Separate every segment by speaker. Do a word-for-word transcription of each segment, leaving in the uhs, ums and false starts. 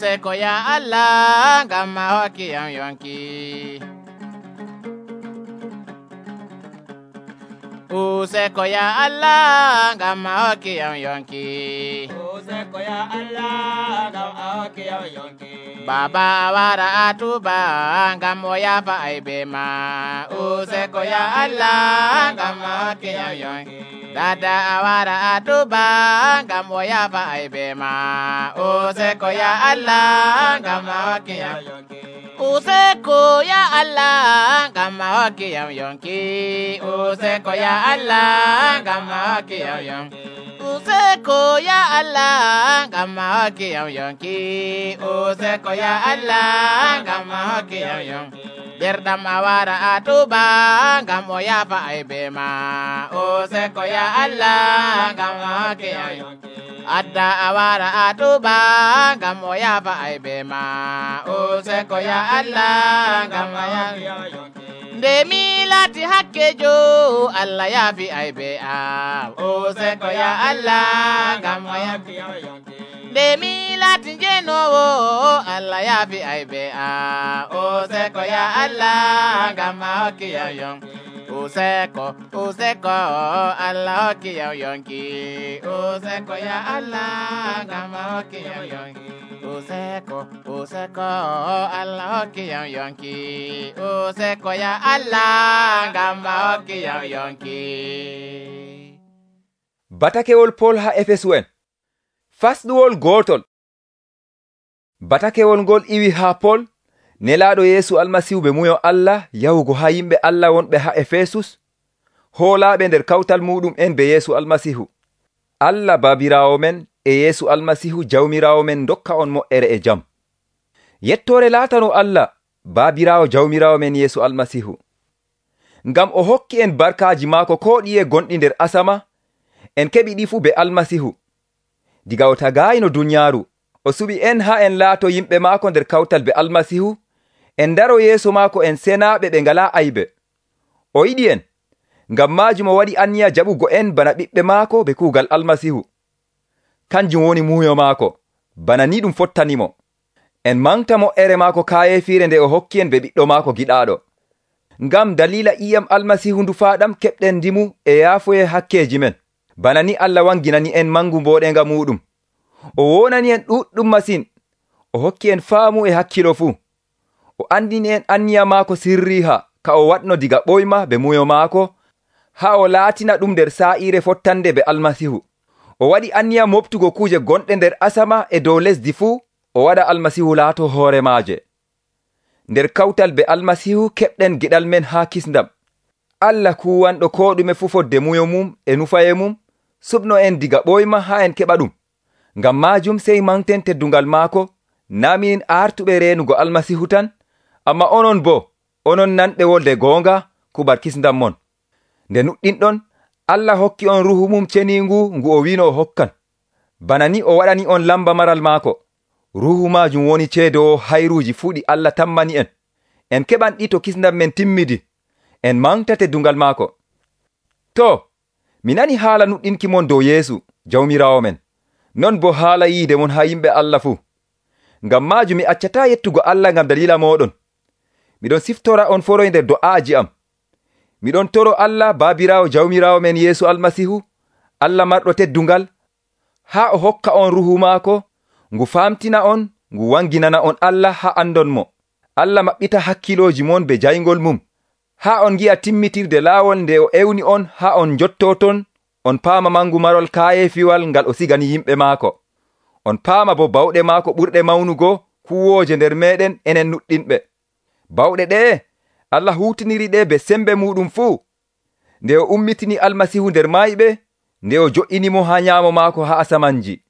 Speaker 1: Useko ya Allah ngam ma hokki am yonki. Useko ya Allah ngam ma hokki am yonki.
Speaker 2: Useko ya Allah ngam ma hokki am yonki.
Speaker 1: Baba wara atuba ngam o yafa aibe ma. Useko ya Allah ngam ma hokki am yonki. Dada awara atuba ngam o yafa aibe ma. Useko ya Allah ngam ma hokki am yonki. Useko ya Allah ngam ma hokki am yonki. Useko ya Allah ngam ma hokki am yonki. Useko ya Allah ngam ma hokki am yonki. Useko ya Allah ngam ma hokki am yonki. Derdam awara atuba ngam o yafa aibe ma. Useko ya Allah ngam ma hokki am yonki. Adda awara atuba ngam o yafa aibe ma. Useko ya Allah ngam ma hokki am yonki. Nde mi lati hakkejo Allah yafi aibe am. Useko ya Allah ngam ma hokki am yonki. Nde mi lati jenowo Allah yafi aibe am. Useko ya Allah ngam ma hokki am yonki. Useko, useko Allah hokki am yonki. Useko ya Allah ngam ma hokki am yonki. Useko, useko Allah hokki am yonki. Useko ya Allah ngam ma hokki am yonki.
Speaker 3: Batakewol Pol ha Efesu'en fasɗuwol gotol. Batakewol ngol iwi ha Pol nelaaɗo Yeesu Almasihu be muyo Allah yahugo ha yimɓe Allah wonɓe ha Efesus hoolaaɓe nder kawtal muɗum en be Yeesu Almasihu. Allah Baabiraawo men e Yeesu Almasihu Jawmiraawo men dokka on mo'ere e jam. Yettoore laatano Allah Baabiraawo Jawmiraawo men Yeesu Almasihu. Ngam o hokki en barkaaji maako ko ɗiye gonɗi nder asama en keɓi ɗi fu be Almasihu. Diga o tagaayino dunyaaru o suɓi en ha en laato yimɓe maako nder kawtal be Almasihu, en daro yeeso maako en senaaɓe ɓe ngalaa aybe. O yiɗi en, ngam maajum o waɗi anniya jaɓugo en bana ɓiɓɓe maako be kuugal Almasihu. Kanjum woni muuyo maako, bana ni ɗum fottanimo. En manta mo'ere maako kaayefiire nde o hokki en be ɓiɗɗo maako giɗaaɗo. Ngam dalila iyam Almasihu ndufaaɗam keɓɗen ndimu e yaafoye hakkeeji men, bana ni Allah wanginani en mangu mbooɗenga muɗum. O wonani en ɗuɗɗum masin, o hokki en faamu e hakkilo fuu. O andini en anniya maako sirriha ka o waɗno diga ɓoyma be muyo maako, ha o laatina ɗum nder saa'ire fottande be Almasihu. O waɗi anniya moftugo kuuje gonɗe nder asama e dow lesdi fuu, o waɗa Almasihu laato hoore maaje. Nder kawtal be Almasihu keɓɗen geɗal men haa kisndam. Allah kuwanɗo ko ɗume fu fodde muyo mum e nufaye mum, suɓno en diga ɓoyma ha en keɓa ɗum. Ngam maajum sey manten teddungal maako, naa minin artuɓe reenugo Almasihu tan, amma onon bo, onon nanɓe wolde goonga kubar kisndam mon. Nde nuɗɗinɗon, Allah hokki on ruhu mum ceniingu ngu o wino o hokkan. Bana ni o waɗani on lamba maral maako. Ruhu maajum woni ceedowo hayruuji fuu ɗi Allah tammani en. En keɓan ɗi to kisndam men timmidi. En manta teddungal maako. To, mi nani haala nuɗɗinki mon dow Yeesu, Jawmiraawo men. Non bo haala yiide mon ha yimɓe Allah fuu. Ngam maajum mi accataa yettugo Allah ngam dalila mooɗon. Miɗon siftora on foroy nder do'aaji am. Miɗon toro Allah Baabiraawo Jawmiraawo men Yeesu Almasihu, Allah marɗo teddungal, haa o hokka on ruhu maako, ngu famtina on, ngu wanginana on Allah haa andon mo. Allah maɓɓita hakkilooji mon be jayngol mum, haa on ngi'a timmitirde laawol nde o ewni on haa on njotto ton, on paama mangu marol kaayefiwal ngal o sigani yimɓe maako. On paama bo bawɗe maako ɓurɗe mawnugo kuwooje nder meeɗen enen nuɗɗinɓe. Bawɗe ɗe Allah huutiniri ɗe be sembe muɗum fuu. Nde o ummitini Almasihu nder mayɓe, nde o jo'inimo haa nyaamo maako haa asamanji.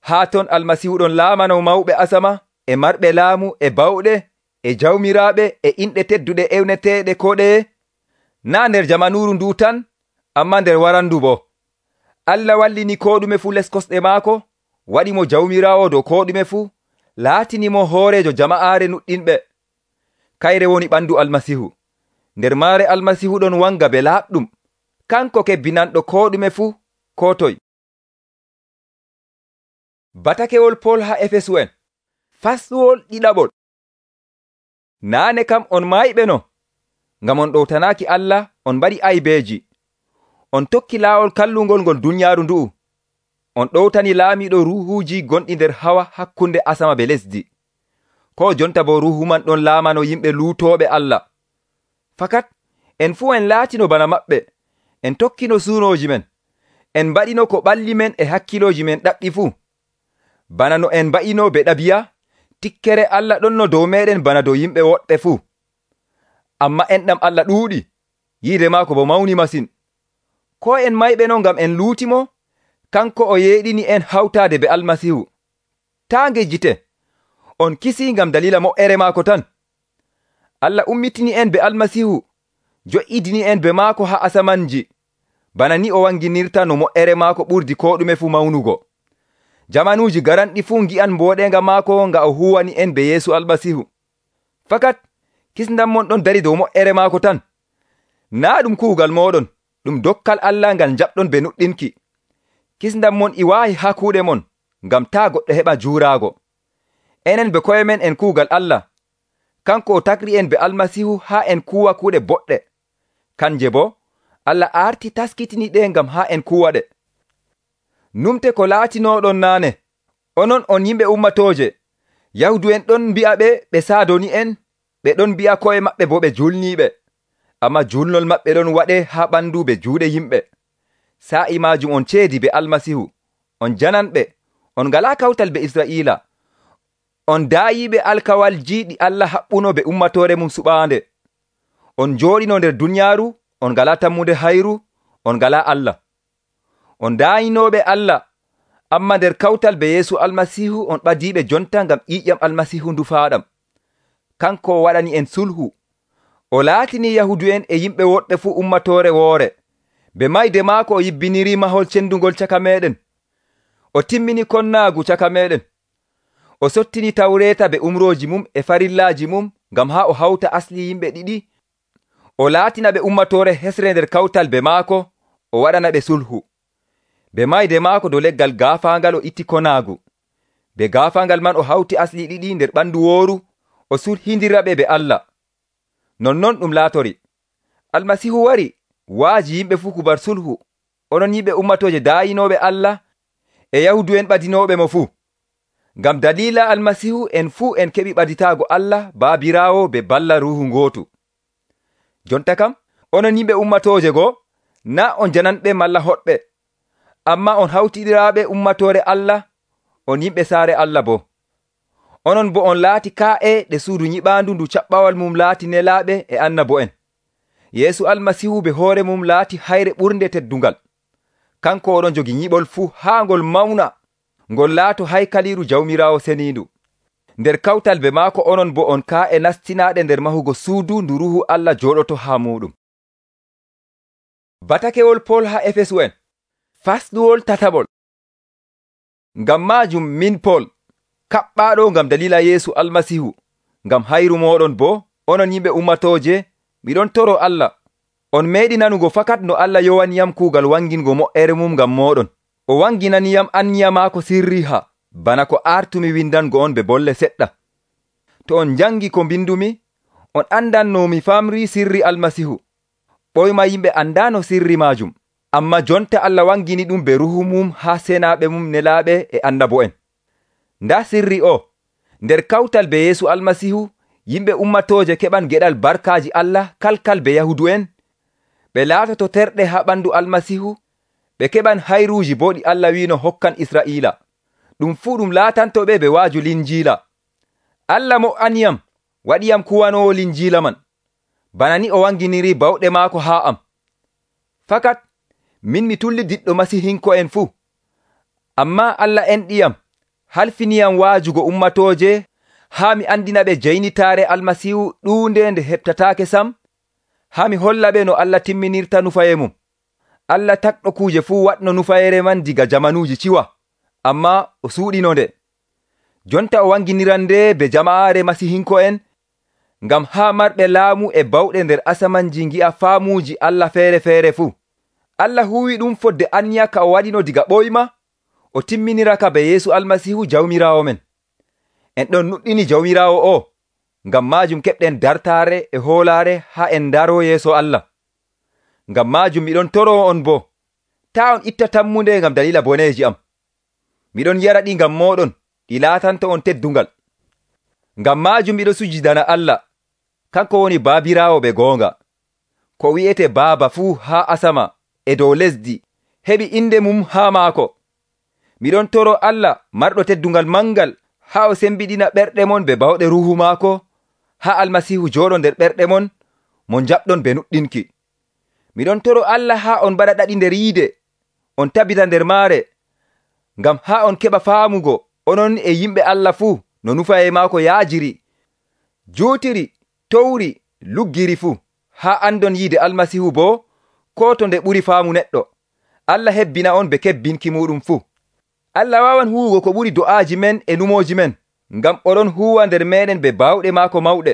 Speaker 3: Haa ton Almasihu ɗon laamano mawɓe asama e marɓe laamu e bawɗe e jawmiraaɓe e inɗe tedduɗe ewneteeɗe ko ɗeye. Naa nder jamanuuru ndu tan, amma nder warandu bo. Allah wallini ko ɗume fuu les kosɗe maako, waɗi mo jawmiraawo dow ko ɗume fuu, laatinimo hoorejo jama'aare nuɗɗinɓe. Kayre woni ɓandu Almasihu. Nder maare Almasihu ɗon wanga be laaɓɗum, kanko kebbinanɗo ko ɗume fuu, ko toy. Batakewol Pol ha Efesu'en Fasɗuwol ɗiɗaɓol. Naane kam on mayɓeno, ngam on ɗowtanaaki Allah, on mbaɗi aybeeji. On tokki laawol kallungol ngol dunyaaru ndu'u. On ɗowtani laamiiɗo ruuhuuji gonɗi nder hawa hakkunde asama be lesdi. Ko jonta bo ruuhu man ɗon laamano yimɓe luutooɓe Allah. Fakat en fuu en laatino bana maɓɓe, en tokkino suunooji men, en mbaɗino ko ɓalli men e hakkilooji men ɗaɓɓi fuu. Bana no en mba'ino be ɗabi'a, tikkere Allah ɗonno dow meɗen bana dow yimɓe woɗɓe fuu. Amma enɗam Allah ɗuuɗi, yiide maako bo mawni masin. Ko en mayɓeno ngam en luutimo, kanko o yeeɗini en hawtaade be Almasihu. Taa ngejjite, on kisii ngam dalila mo'ere maako tan. Allah ummitini en be Almasihu, jo'idini en be maako haa asamanji, bana ni o wanginirta no mo'ere maako ɓurdi ko ɗume fuu mawnugo. Jamanuuji garanɗi fuu ngi'an mbooɗenga maako nga o huwani en be Yeesu Almasihu. Fakat kisndam mon ɗon dari dow mo'ere maako tan. Naa ɗum kuugal mooɗon, ɗum dokkal Allah ngal jaɓɗon be nuɗɗinki. Kisndam mon i waawi haa kuuɗe mon, ngam taa goɗɗo heɓa juuraago. Enen be koye men en kuugal Allah. Kanko o takri en be Almasihu haa en kuuwa kuuɗe boɗɗe. Kanje bo, Allah arti taskitini ɗe ngam haa en kuuwaɗe. Numte ko laatinoɗon naane, onon on yimɓe ummatooje. Yahudu'en ɗon mbi'a ɓe ɓe saadoni en, ɓe ɗon mbi'a koye maɓɓe bo ɓe julniiɓe. Amma julnol maɓɓe ɗon waɗe haa ɓandu be juuɗe yimɓe. Sa'i maajum on ceedi be Almasihu, on jananɓe, on ngalaa kawtal be Israa'iila. On daayiiɓe alkawalji ɗi Allah haɓɓuno be ummatoore mum suɓaande. On jooɗino nder dunyaaru, on ngalaa tammude hayru, on ngalaa Allah. On daayinooɓe Allah, amma nder kawtal be Yeesu Almasihu on ɓadiiɓe jonta ngam ƴiiƴam Almasihu ndufaaɗam. Kanko o waɗani en sulhu. O laatini Yahudu'en e yimɓe woɗɓe fuu ummatoore woore. Be mayde maako o yibbiniri mahol cendugol caka meɗen. O timmini konnaagu caka meɗen. O sottini tawreeta be umrooji mum e farillaaji mum ngam haa o hawta asli yimɓe ɗiɗi. O laatina ɓe ummatoore hesre nder kawtal be maako, o waɗana ɓe sulhu. Be mayde maako dow leggal gaafaangal o itti konaagu. Be gaafaangal man o hawti asli ɗiɗi nder ɓandu wooru, o sulhindira ɓe be Allah. Nonnon ɗum laatori. Almasihu wari, waaji yimɓe fuu kubar sulhu, onon yimɓe ummatooje daayinooɓe Allah e Yahudu'en ɓadinooɓe mo fuu. Ngam dalila Almasihu en fuu en keɓi ɓaditaago Allah Baabiraawo be balla Ruuhu ngootu. Jonta kam, onon yimɓe ummatooje goo, naa on jananɓe malla hoɗɓe, amma on hawtiɗiraaɓe ummatoore Allah, on yimɓe saare Allah bo. Onon bo on laati kaa'e ɗe suudu nyiɓaandu ndu caɓɓawal mum laati nelaaɓe e annabo'en. Yeesu Almasihu be hoore mum laati hayre ɓurnde teddungal. Kanko oɗon jogi nyiɓol fuu haa ngol mawna, ngol laato haykaliiru Jawmiraawo seniindu. Nder kawtal be maako onon bo on kaa'e nastinaaɗe nder mahugo suudu ndu Ruuhu Allah jooɗoto haa muɗum. Batakewol Pol haa Efesu'en. Fasɗuwol tataɓol. Ngam maajum min Pol, kaɓɓaaɗo ngam dalila Yeesu Almasihu, ngam hayru mooɗon bo, onon yimɓe ummatooje, miɗon toro Allah. On meeɗi nanugo fakat no Allah yowaniyam kuugal wangingo mo'ere mum ngam mooɗon. O wanginaniyam anniya maako sirriha, bana ko artumi windango on be bolle seɗɗa. To on jangi ko mbindumi, on andan no mi famri sirri Almasihu. Ɓoyma yimɓe andano sirri maajum, amma jonta Allah wangini ɗum be ruhu mum haa senaaɓe mum nelaaɓe e annabo'en. Nda sirri o, nder kawtal be Yeesu Almasihu, yimɓe ummatooje keɓan geɗal barkaaji Allah kalkal be Yahudu'en, ɓe laatoto terɗe haa ɓandu Almasihu, ɓe keɓan hayruuji bo ɗi Allah wiino hokkan Israa'iila. Ɗum fuu ɗum laatantoɓe be waaju linjiila. Allah mo''aniyam, waɗiyam kuwanoowo linjiila man, bana ni o wanginiri bawɗe maako haa am. Fakat min mi tulli diɗɗo masihinko'en fuu, amma Allah enɗiyam, halfiniyam waajugo ummatooje haa mi andina ɓe jaynitaare Almasihu ɗuunde nde heɓtataake sam, haa mi holla ɓe no Allah timminirta nufaye mum. Allah takɗo kuuje fuu waɗno nufayere man diga jamanuuji ciwa, amma o suuɗino nde. Jonta o wanginiran nde be jama'aare masihinko'en, ngam haa marɓe laamu e bawɗe nder asamanji ngi'a faamuuji Allah feere-feere fuu. Allah huwi ɗum fodde anniya ka o waɗino diga ɓoyma, o timminira ka be Yeesu Almasihu Jawmiraawo men. En ɗon nuɗɗini Jawmiraawo o, ngam maajum keɓɗen dartaare e hoolaare haa en daroo yeeso Allah. Ngam maajum miɗon toroo on boo, taa on itta tammunde ngam dalila boneeji am. Miɗon yara ɗi ngam mooɗon, ɗi laatanto on teddungal. Ngam maajum miɗo sujidana Allah, kanko woni Baabiraawo ɓe goonga. Ko wi'ete Baaba fuu haa asama e dow lesdi heɓi inde mum haa maako. Miɗon toro Allah marɗo teddungal mangal haa o sembiɗina ɓerɗe mon be bawɗe ruuhu maako, haa Almasiihu jooɗo nder ɓerɗe mon mo jaɓɗon be nuɗɗinki. Miɗon toro Allah haa on mbaɗa ɗaɗi nder yiide, on tabita nder maare, ngam haa on keɓa faamugo onon e yimɓe Allah fuu no nufaye maako yaajiri, juutiri, towri, luggiri fuu, haa andon yiide Almasiihu boo ko to nde ɓuri faamu neɗɗo. Allah hebbina on be kebbinki muɗum fuu. Allah waawan huwugo ko ɓuri do'aaji men e numooji men, ngam oɗon huwa nder meɗen be bawɗe maako mawɗe.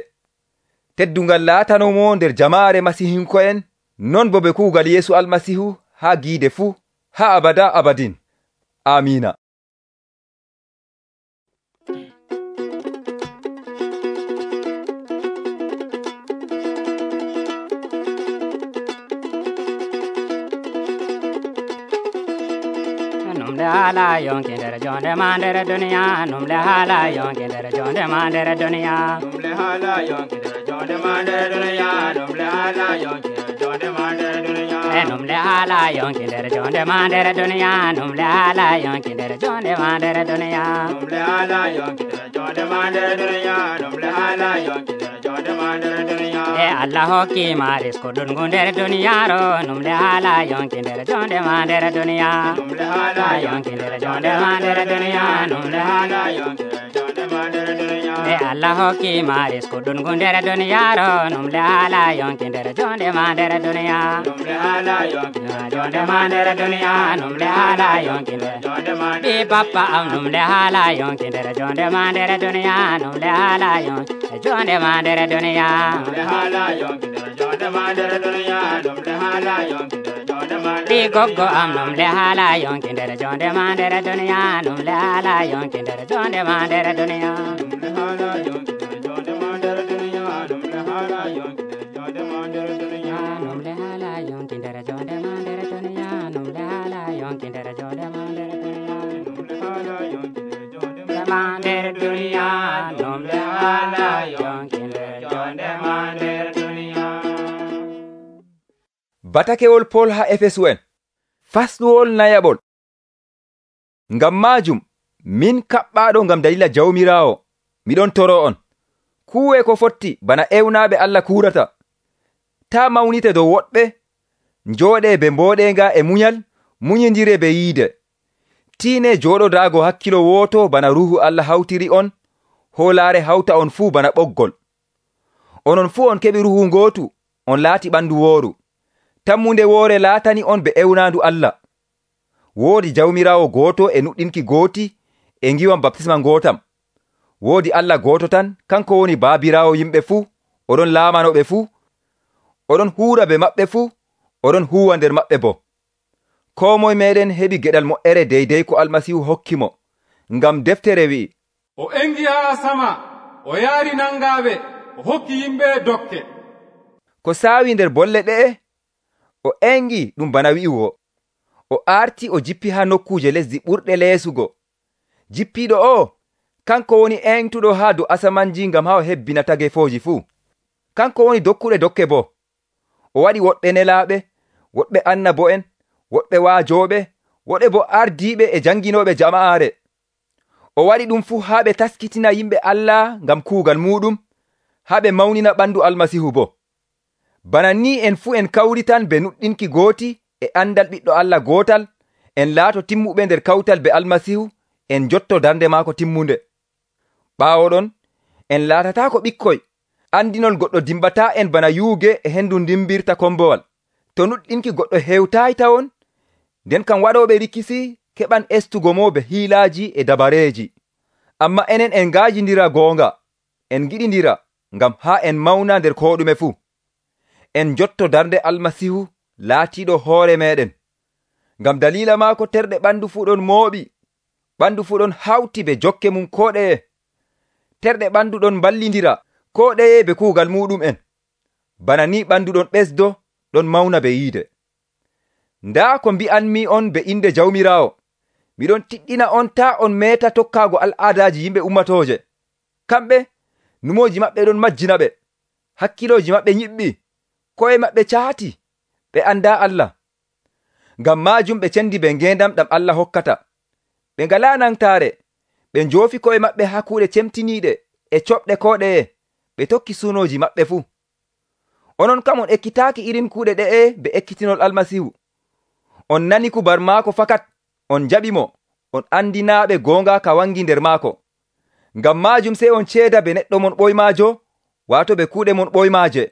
Speaker 3: Teddungal laatanomo nder jamaare masihinko'en, non bo be kuugal Yeesu Almasiihu haa giide fuu, haa abada abadin. Amiina.
Speaker 2: Numle hala yonki der jonde mandere dunia. Numle hala yonki der jonde mandere dunia. Numle hala yonki der jonde mandere dunia. Numle hala yonki der jonde mandere dunia. Numle hala yonki der jonde mandere dunia. Numle hala yonki der jonde mandere dunia. Numle hala yonki der jonde mandere dunia. Numle hala yonki der jonde mandere dunia. E Allah hokki maris kodun gunder dunia ro. Numle hala yonki der jonde mandere dunia. Numle hala yonki der jonde mandere dunia. Numle hala yonki der jonde mandere dunia. E Allah hokki maris kodun gunder dunia ro. Numle hala yonki der jonde mandere dunia. Numle hala yonki der jonde mandere dunia. Numle hala yonki der jonde mandere. Di papa am numle hala yonki der jonde mandere dunia. Numle hala yonki der jonde mandere dunia. Numle hala yonki der jonde mandere dunia. Numle hala yonki der jonde mandere. Di gogo am numle hala yonki der jonde mandere dunia. Numle hala yonki der jonde mandere dunia. Numle hala yonki der jonde mandere dunia. Numle hala yonki der jonde mandere dunia. Numle hala yonki der jonde mandere dunia. Numle hala yonki der jonde mandere dunia. Numle hala yonki der jonde mandere dunia. Numle hala yonki der jonde mandere dunia.
Speaker 3: Batakewol Pol ha Efesu'en, fasɗuwol nayaɓol. Ngam maajum, min kaɓɓaaɗo ngam dalila Jawmiraawo, miɗon toro on. Kuwe ko fotti bana ewnaaɓe Allah kuurata. Ta mawnite dow woɗɓe, njooɗe be mbooɗenga e munyal, munyindire be yiide. Tiine jooɗodaago hakkilo wooto bana Ruuhu Allah hawtiri on, hoolaare hawta on fuu bana ɓoggol. Onon fuu on keɓi Ruuhu ngootu, on laati ɓandu wooru. Tammunde woore laatani on be ewnaandu Allah. Woodi Jawmiraawo gooto e nuɗɗinki gooti e ngiwam baptisma ngootam. Woodi Allah gooto tan, kanko woni Baabiraawo yimɓe fuu, oɗon laamanoɓe fuu, oɗon huura be maɓɓe fuu, oɗon huwa nder maɓɓe bo. Koo moye meɗen heɓi geɗal moƴƴere deydey ko Almasiihu hokki mo, ngam deftere wi'i,
Speaker 4: o engi haa sama, o yaari nangaaɓe, o hokki yimɓe dokke.
Speaker 3: Ko saawi nder bolle ɗe'e, o engi ɗum bana wi'ugo, o arti o jippi haa nokkuje lesdi ɓurɗe leesugo. Jippiiɗo o, kanko woni engtuɗo haa dow asamanji ngam haa o hebbina tagefooji fuu. Kanko woni dokkuɗe dokke bo. O waɗi woɗɓe nelaaɓe, woɗɓe annabo'en, woɗɓe waajooɓe, woɗɓe bo ardiiɓe e janginooɓe jama'aare. O waɗi ɗum fuu haa ɓe taskitina yimɓe Allah ngam kuugal muɗum, haa ɓe mawnina ɓandu Almasiihu bo. Bana ni en fuu en kawritan be nuɗɗinki gooti e andal ɓiɗɗo Allah gootal, en laato timmuɓe nder kawtal be Almasiihu, en jotto darnde maako timmunde. Ɓaawo ɗon, en laatataako ɓikkoy, andinol goɗɗo dimbataa en bana yuuge e hendu dimbirta kombowal. To nuɗɗinki goɗɗo hewtaay tawon, nden kam waɗooɓe rikisi keɓan estugo mo be hiilaaji e dabareeji. Amma enen en ngaajindira goonga, en giɗindira ngam haa en mawna nder koo ɗume fuu. En jotto darnde Almasiihu laatiiɗo hoore meɗen. Ngam dalila maako terɗe ɓandu fuu ɗon mooɓi, ɓandu fuu ɗon hawti be jokke mum koo ɗeye. terɗe ɓandu ɗon ballindira ko ɗeye be kuugal muɗum en. Bana ni ɓandu ɗon ɓesdo ɗon mauna be yiide. Ndaa ko mbi'anmi on be inde Jawmiraawo, miɗon tiɗɗina on ta on meta tokkaago al'aadaji yimɓe ummatooje. Kamɓe numoji maɓɓe ɗon majjina ɓe, hakkiloji maɓɓe nyiɓɓi, ko'e maɓɓe caati, ɓe anda Allah. Ngam maajum ɓe cendi be ngendam ɗam Allah hokkata. Ɓe ngalaa nangtaare, ɓe njoofi ko'e maɓɓe haa kuuɗe cemtiniiɗe e coɓɗe ko ɗeye, ɓe tokki suunoji maɓɓe fuu. Onon kam on ekkitaaki irin kuuɗe ɗe'e be ekkitinol Almasihu. On nani kubar maako fakat, on jaɓi mo, on andinaaɓe goonga ka wangi nder maako. Ngam maajum sey on ceeda be neɗɗo mon ɓoymaajo, waato be kuuɗe mon ɓoymaaje.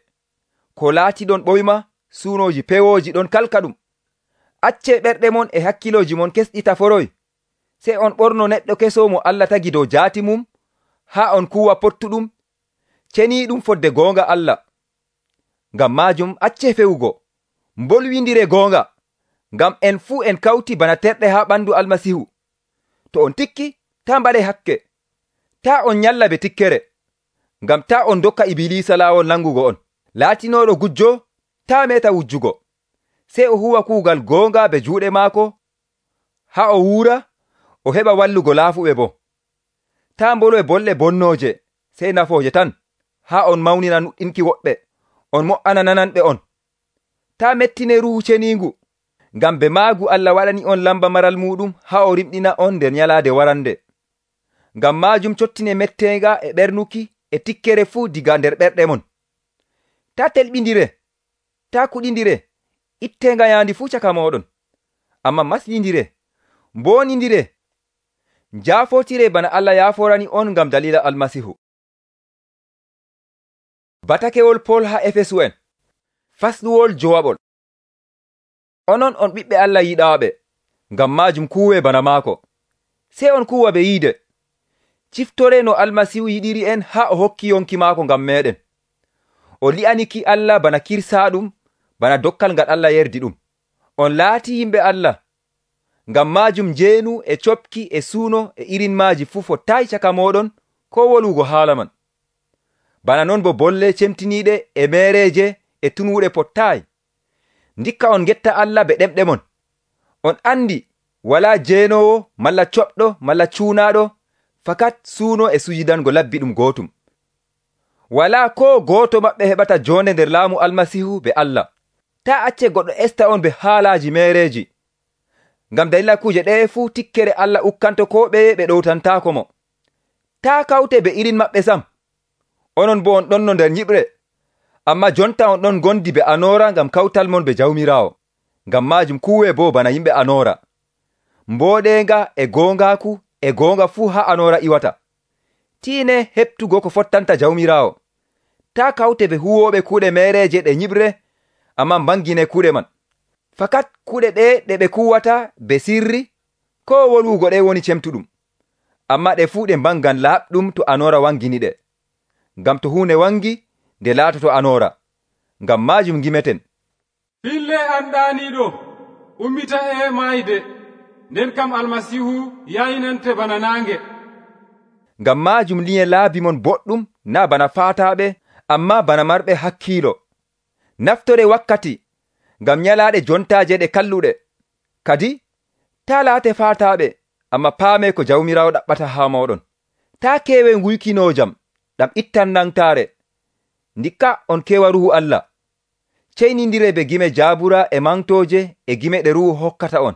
Speaker 3: Ko laatiɗon ɓoyma, suunoji pewooji ɗon kalka ɗum. Accee ɓerɗe mon e hakkiloji mon kesɗita foroy, sey on ɓorno neɗɗo keso mo Allah tagi dow jaati mum, haa on kuuwa pottuɗum, ceniiɗum fodde goonga Allah. Ngam maajum accee fewugo, mbolwindire goonga, ngam en fuu en kawti bana terɗe haa ɓandu Almasihu. To on tikki, taa mbaɗe hakke, taa on nyalla be tikkere, ngam taa on dokka Ibilisa laawol nangugo on. Laatinooɗo gujjo, taa meta wujjugo, sey o huwa kuugal goonga be juuɗe maako, haa o wuura, o heɓa wallugo laafuɓe bo. Taa mbolo e bolle bonnooje, sey nafooje tan, haa on mawnina nuɗɗinki woɓɓe, on mo''ana nananɓe on. Taa mettine Ruuhu Ceniingu, ngam be maagu Allah waɗani on lamba maral muɗum haa o rimɗina on nder nyalaade warande. Ngam maajum cottine metteenga e ɓernuki e tikkere fuu diga nder ɓerɗe mon. Taa telɓindire, taa kuɗindire, itteenga yaandi fuu caka mooɗon, amma maslindire, mboonindire, njaafotire bana Allah yaaforani on ngam dalila Almasihu. Batakewol Pol haa Efesu'en, fasluwol jowaɓol. Onon on ɓiɓɓe Allah yiɗaaɓe, ngam maajum kuuwe bana maako. Sey on kuuwa be yiide. Ciftore no Almasihu yiɗiri en haa o hokki yonki maako ngam meɗen. O li'aniki Allah bana kirsaaɗum, bana dokkal ngal Allah yerdi ɗum. On laati yimɓe Allah. Ngam maajum njeenu e copki e suuno e irin maaji fuu fottaayi caka mooɗon ko wolugo haala man. Bana non bo bolle cemtiniiɗe e meereeje e tunuuɗe pottaayi. Ndikka on getta Allah be ɗemɗe mon. On andi walaa jeenoowo malla coɓɗo malla cuunaaɗo, fakat suuno e sujidango labbi ɗum gootum. Walaa ko gooto maɓɓe heɓata joonde nder laamu Almasihu be Allah. Taa acce goɗɗo esta on be haalaaji meereeji. Ngam dalila kuje ɗeye fuu tikkere Allah ukkanto ko ɓeye ɓe ɗowtantaako mo. Taa kawte be irin maɓɓe sam. Onon bo on ɗon no nder nyiɓre, amma jonta on ɗon gondi be anoora ngam kawtal mon be Jawmiraawo. Ngam maajum kuuwe bo bana yimɓe anoora. Mbooɗeenga e goongaaku e goonga fuu haa anoora iwata. Tiine heɓtugo ko fottanta Jawmiraawo. Taa kawte be huwooɓe kuuɗe meereeje ɗe nyiɓre, amma mbangine kuuɗe man. Fakat kuuɗe ɗe ɗe ɓe kuwata be sirri, ko wolugo ɗe woni cemtuɗum. Amma ɗe fuu ɗe mbangan laaɓɗum to anoora wangini ɗe. Ngam to huunde wangi, nde laatoto anoora. Ngam maajum ngimeten.
Speaker 4: Fille anɗaaniiɗo ummita e maayde, nden kam Almasihu yaynante bana naange.
Speaker 3: Ngam maajum liye laabi mon boɗɗum na bana faataaɓe, amma bana marɓe hakkiilo. Naftore wakkati, ngam nyalaaɗe jontaaje ɗe kalluɗe. Kadi, taa laate faataaɓe, amma paame ko Jawmiraawo ɗaɓɓata haa mooɗon. Taa keewe nguykinojam, ɗam ittan nangtaare. Ndikka on kewa Ruhu Allah. Ceynindire be gime jaabura e mantooje e gime ɗe Ruhu hokkata on.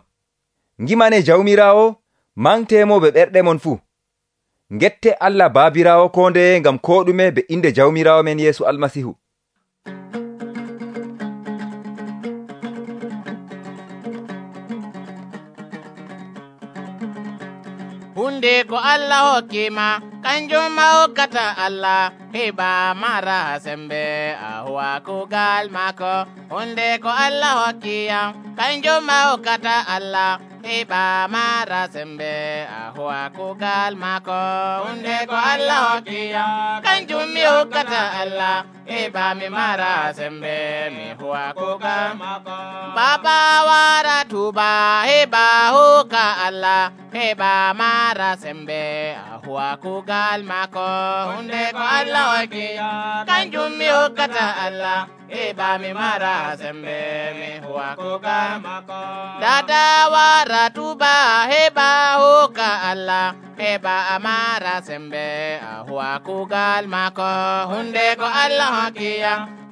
Speaker 3: Ngimane Jawmiraawo, mantemo be ɓerɗe mon fuu. Ngette Allah Baabiraawo ko ndeye ngam ko ɗume be inde Jawmiraawo men Yeesu Almasihu.
Speaker 1: Hunde ko Allah hokkima, kanjum ma hokkata Allah, heɓa mara sembe a huwa kugal mako. Hunde ko Allah hokkiyam, kanjum ma hokkata Allah, heɓa mara sembe a huwa kugal mako. Hunde ko Allah hokkiyam, kanjum mi hokkata Allah, heɓa mi mara sembe mi huwa kugal mako. Baba wara tuba heba hoka Allah heba mara sembe huwa kugal mako hunde ko Allah waki kanjum mi hokkata Allah heba mi mara sembe mi huwa kugal mako dada wara tuba heba hoka Allah heba amara sembe huwa kugal mako hunde ko Allah waki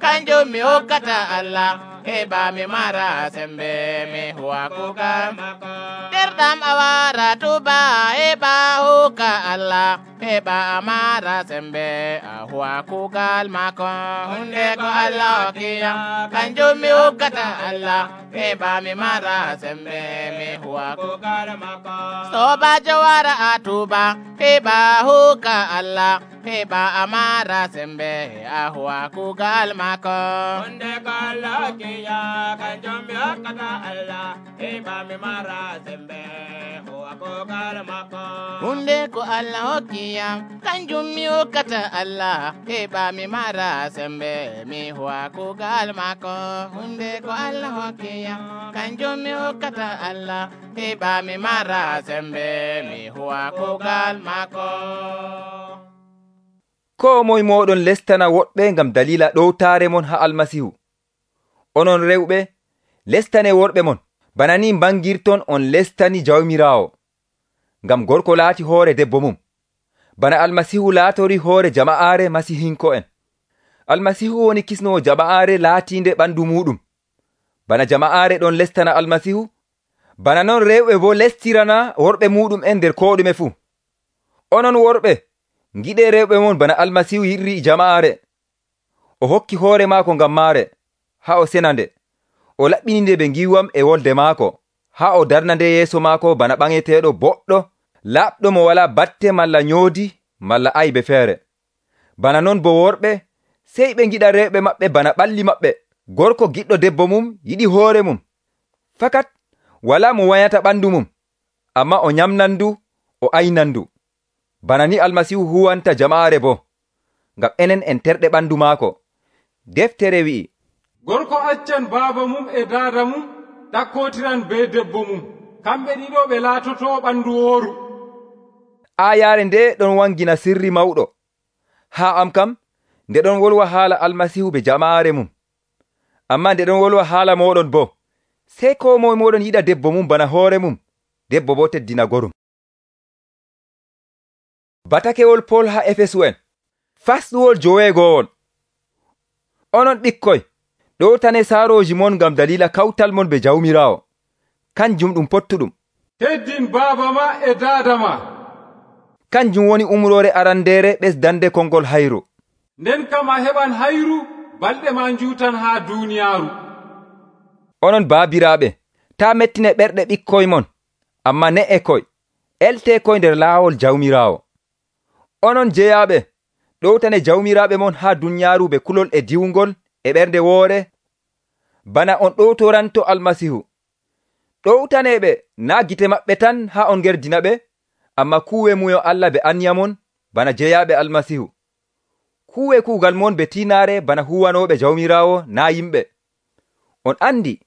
Speaker 1: kanjum mi hokkata Allah heba mi mara sembe mi huwa kugal mako derdam awara tuba heba hoka Allah heba amara sembe huwa kugal mako hunde ko Allah kiya kanjum mi hokkata Allah heba mi mara sembe mi huwa kugal mako soba jawara atuba heba hoka Allah heba amara sembe huwa kugal mako hunde ko Allah kiya kanjum mi hokkata Allah heba mi mara sembe huwa kugal mako hunde ko Allah hokiya kanjum mi hokkata Allah heba mi mara sembe mi huwa kugal mako hunde ko Allah hokiya kanjum mi hokkata Allah heba mi mara sembe mi huwa kugal mako
Speaker 3: ko moy moɗon lestana woɗɓe ngam dalila ɗowtare mon ha almasihu onon rewɓe lestane worɓe mon bana ni bangirton on lestani jawmirawo ngam gorko laati hoore debbo mum bana almasihu laatori hoore jama'aare masihinko en almasihu woni kisnowo jama'aare laatinde ɓandu muɗum bana jama'aare ɗon lestana almasihu bana non rewɓe bo lestirana worɓe muɗum en nder koɗume fuu onon worɓe giɗe rewɓe mon bana almasihu yirri jama'aare o hokki hoore maako ngam maare ha o senande o laɓɓininde ɓe giwam e wolde maako ha o darnande yeeso maako bana ɓaŋeteɗo boɗɗo laɓɗo mo wala batte malla nyoodi malla aybe feere bana non bo worɓe sey ɓe giɗa rewɓe maɓɓe bana ɓalli maɓɓe gorko giɗɗo debbo mum yiɗi hoore mum fakat wala mo wayata ɓandu mum amma o nyamnandu o aynandu bana ni almasihu huwanta jama'are bo ngam enen en terɗe ɓandu maako deftere wi'i
Speaker 4: gorko accan baaba mum e daada mum ɗakkotiran be debbo mum kamɓe ɗiɗo ɓe laatoto ɓandu wooru
Speaker 3: ayare nde ɗon wangina sirri mawɗo ha am kam nde ɗon wolwa haala almasihu be jama'are mum amma nde ɗon wolwa haala moɗon bo sey ko moy moɗon yiɗa debbo mum bana hoore mum debbo bo teddina gorum batakewol Pol ha Efesu en fasɗuwol joweegowol onon ɓikkoy ɗowtane saaroji mon ngam dalila kawtal mon be jawmirawo kanjum ɗum pottuɗum
Speaker 4: teddin baaba ma e daada ma
Speaker 3: kanjum woni umrore arandere ɓesdande kongol hayru
Speaker 4: nden kam a heɓan hayru balɗe ma njuutan ha duniyaaru
Speaker 3: onon baabiraɓe ta mettine ɓerɗe ɓikkoy mon amma ne'e koy elte koy nder laawol jawmirawo onon jeyaɓe ɗowtane jawmiraɓe mon ha duniyaaru be kulol e diwgol e ɓernde woore bana on ɗowtoranto almasihu ɗowtaneɓe na gite maɓɓe tan ha on gerdina ɓe amma kuwe muyo Allah be anyamon bana jeyaɓe almasihu kuwe kuugal mon be tinare bana huwanoɓe jawmirawo na yimɓe on andi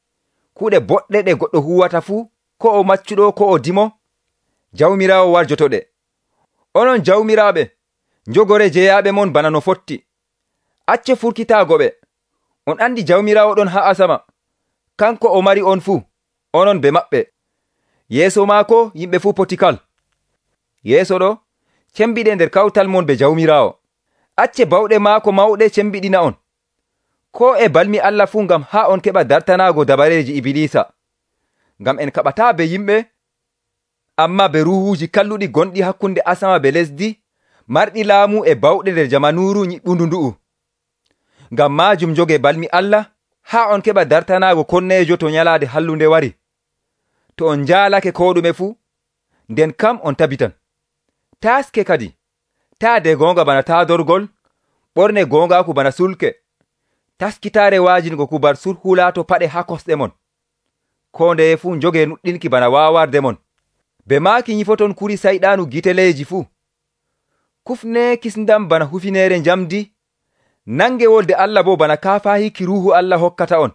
Speaker 3: kuuɗe boɗɗe ɗe goɗɗo huwata fuu ko o maccuɗo ko o dimo jawmirawo warjotoɗe onon jawmiraɓe njogore jeyaɓe mon bana no fotti acce furkitagoɓe on andi jawmirawo ɗon ha asama kanko o mari on fuu onon be maɓɓe yeeso maako yimɓe fuu potikal yeeso ɗo cembiɗe nder kawtal mon be jawmirawo acce bawɗe maako mawɗe cembiɗina on ko e balmi Allah fuu ngam ha on keɓa dartanago dabareji ibilisa ngam en kaɓata be yimɓe amma be ruhuji kalluɗi gonɗi hakkunde asama be lesdi marɗi laamu e bawɗe nder jamanuru nyiɓɓundu ndu'u ngam majum joge balmi Allah ha on keɓa dartanago konnejo to nyalade hallunde wari to on jaalake ko ɗume fuu nden kam on tabitan taske kadi taade gonga bana taadorgol ɓorne gongaku bana sulke taskitare wajingo kubar surhulato paɗe ha kosɗe mon ko ndeye fuu joge nuɗɗinki bana wawarde mon be maaki nyifoton kuri sayɗanu giteleji fuu kufne kisndam bana hufinere njamdi nange wolde Allah bo bana kafahiki ruhu Allah hokkata on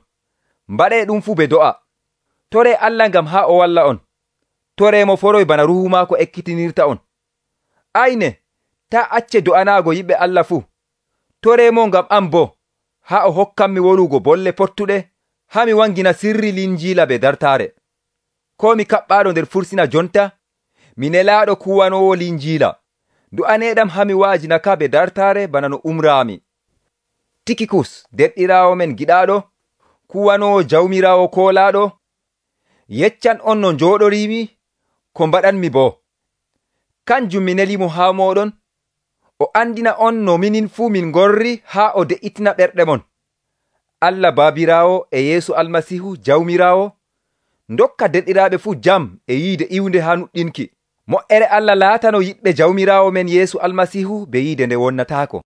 Speaker 3: mbaɗe ɗum fuu be do'a Toree Allah ngam haa o walla on. Toreemo foroy bana ruuhu maako ekkitinirta on. Ayne, taa acce do'anaago yimɓe Allah fuu. Toreemo ngam am boo, haa o hokkanmi wolugo bolle pottuɗe, haa mi wangina sirri linjiila be dartaare. Ko mi kaɓɓaaɗo nder fursina jonta, mi nelaaɗo kuwanoowo linjiila. Du'aneeɗam haa mi wa'ajinaka be dartaare bana no umraami. Tikikus, derɗiraawo men giɗaaɗo, kuwanoowo Jawmiraawo koolaaɗo, yeccan on no njooɗoriimi, ko mbaɗanmi boo. Kanjum mi nelimo haa mooɗon, o andina on no minin fuu min ngorri haa o de'itina ɓerɗe mon. Allah Baabiraawo e Yeesu Almasiihu Jawmiraawo ndokka derɗiraaɓe fuu jam e yiide iwnde haa nuɗɗinki. Mo'ere Allah laatano yiɗɓe Jawmiraawo men Yeesu Almasiihu be yiide nde wonnataako.